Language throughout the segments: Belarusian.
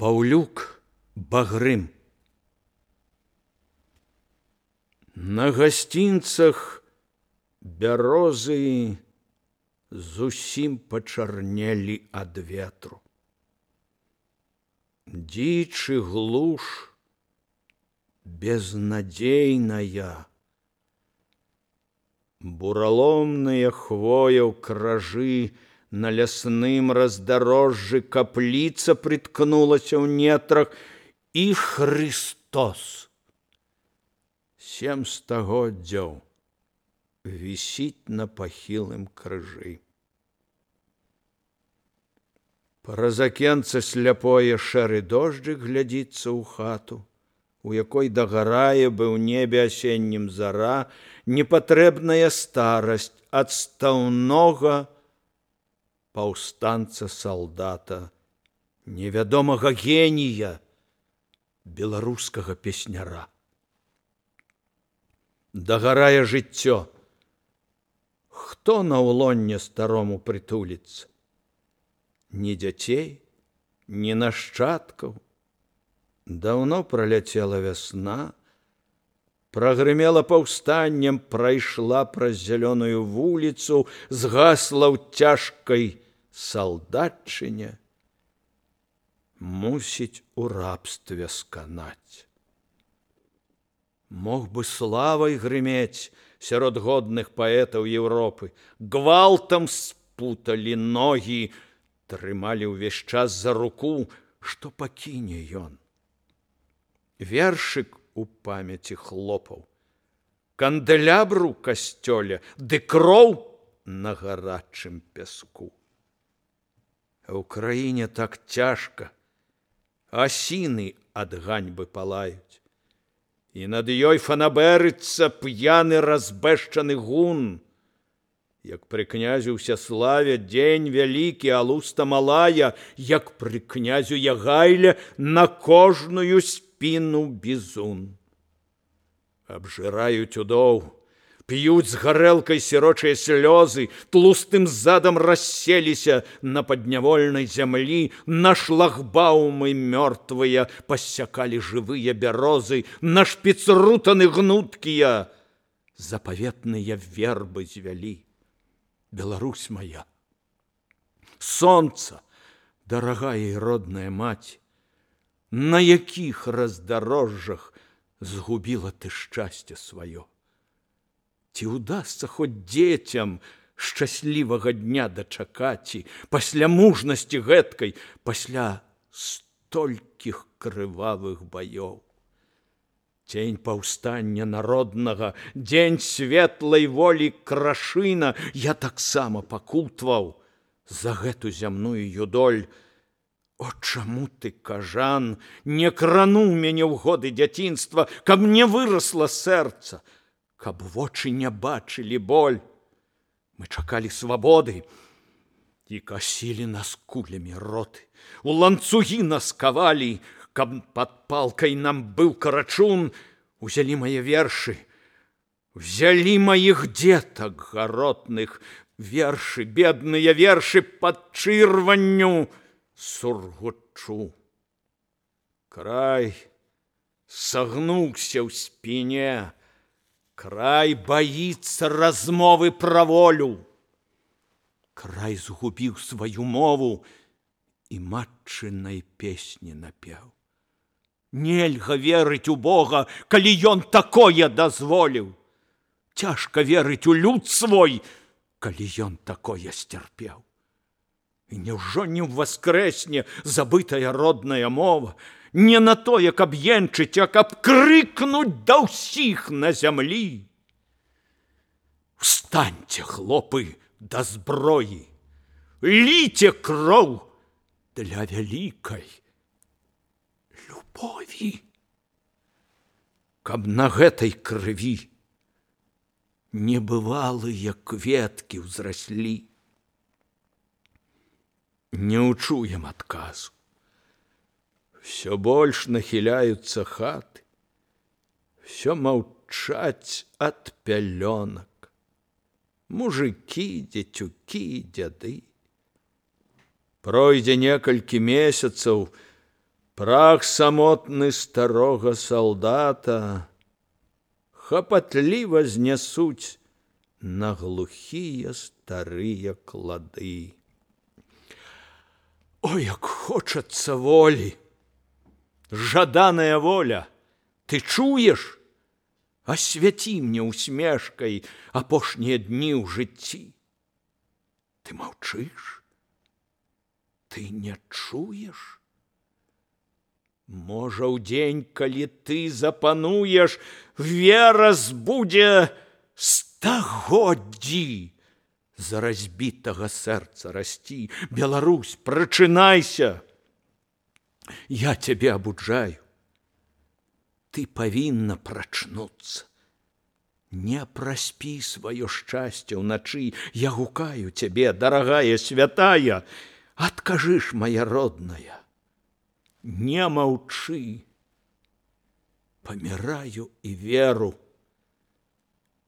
Паўлюк Багрым. На гасцінцах бярозы зусім пачарнелі ад ветру. Дзічы глуш безнадзейная. Бураломныя хвояў кражы на лясным раздарожжы, капліца прыткнулася ў нетрах, і Христос 7 стагоддзяў вісіць на пахілым крыжы. Праз акенца сляпое шэры дожджык глядзіцца ў хату, у якой дагарае бы ў небе асеннім зара, непатрэбная старасць адстаўнога паўстанца-салдата, невядомага генія, беларускага песняра. Дагарае жыццё. Хто на ўлонне старому прытуліцца? Ні дзяцей, ні нашчадкаў. Даўно праляцела вясна, прагрымела паўстаннем, прайшла праз зялёную вуліцу, згасла ў цяжкай салдатчыне, мусіць у рабстве сканаць. Мог бы славай грымець сярод годных паэтаў Еўропы, гвалтам спуталі ногі, трымалі ўвесь час за руку, што пакіне ён. Вершык у памяці хлопаў, кандэлябру ў касцёле, ды кроў на гарачым пяску. А ў краіне так цяжка, асіны ад ганьбы палаюць, і над ёй фанабэрыцца п'яны разбэшчаны гун. Як пры князю Ўсяславе дзень вялікі, а луста малая, як пры князю Ягайле на кожную спіну бізун. Абжыраюць удоў, п'юць з гарэлкай сірочыя слёзы, тлустым задам расселіся на паднявольнай зямлі, на шлагбаумы мёртвыя пассякалі жывыя бярозы, на шпіцрутаны гнуткія запаветныя вербы звялі. Беларусь моя, сонца, дарагая і родная маці, на якіх раздарожжах згубіла ты шчасце сваё? Ці ўдасца хоць дзецям шчаслівага дня дачакаць, пасля мужнасці гэткай, пасля столькіх крывавых баёў? Дзень паўстання народнага, дзень светлай волі Крашына, я таксама пакутваў за гэту зямную юдоль. О, чаму ты, кажан, не крануў мяне ў годы дзяцінства, каб не вырасла сэрца, каб вочы не бачылі боль? Мы чакалі свабоды, і касілі нас кулямі роты, у ланцугі нас кавалі, каб пад палкай нам быў карачун. Узялі мае вершы, взялі маіх дзетак гаротных, вершы, бедныя вершы пад чырванню сургучу. Край сагнуўся ў спіне, край баіцца размовы пра волю. Край згубіў сваю мову і матчынай песні напеў. Нельга верыць у Бога, калі ён такое дазволіў. Цяжка верыць у люд свой, калі ён такое сцярпеў. І няўжо не ўваскрэсне забытая родная мова, не на тое, каб енчыць, а каб крыкнуць да ўсіх на зямлі? Встаньце, хлопы, да зброі, ліце кроў для вялікай любові, каб на гэтай крыві небывалыя кветкі ўзраслі. Не ўчуем адказу. Всё больш нахіляюцца хаты, всё маўчаць ад пялёнак. Мужыкі, дзецюкі, дзяды. Пройдзе некалькі месяцаў, Прах самотны старога салдата хапатліва знясуць на глухія старыя клады. О, як хочацца волі! Жаданая воля, ты чуеш? Асвяці мне усмешкай апошнія дні ў жыцці. Ты маўчыш? Ты не чуеш? Можа, ў дзень, калі ты запануеш, вера збудзе стагоддзі за разбітага сэрца расці. Беларусь, прачынайся! Я цябе абуджаю. Ты павінна прачнуцца. Не праспі сваё шчасце ўначы. Я гукаю цябе, дарагая, святая. Адкажы ж, моя родная, не маўчы. Паміраю і веру.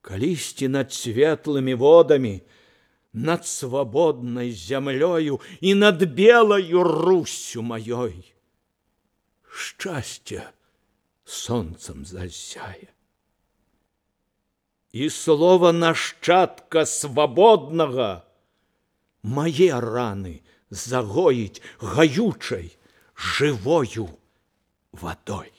Калісьці над светлымі водамі, над свабоднай зямлёю і над белаю Руссю маёй шчасце сонцам засяе. І слова нашчадка свабоднага мае раны загоіць гаючай жывою вадой.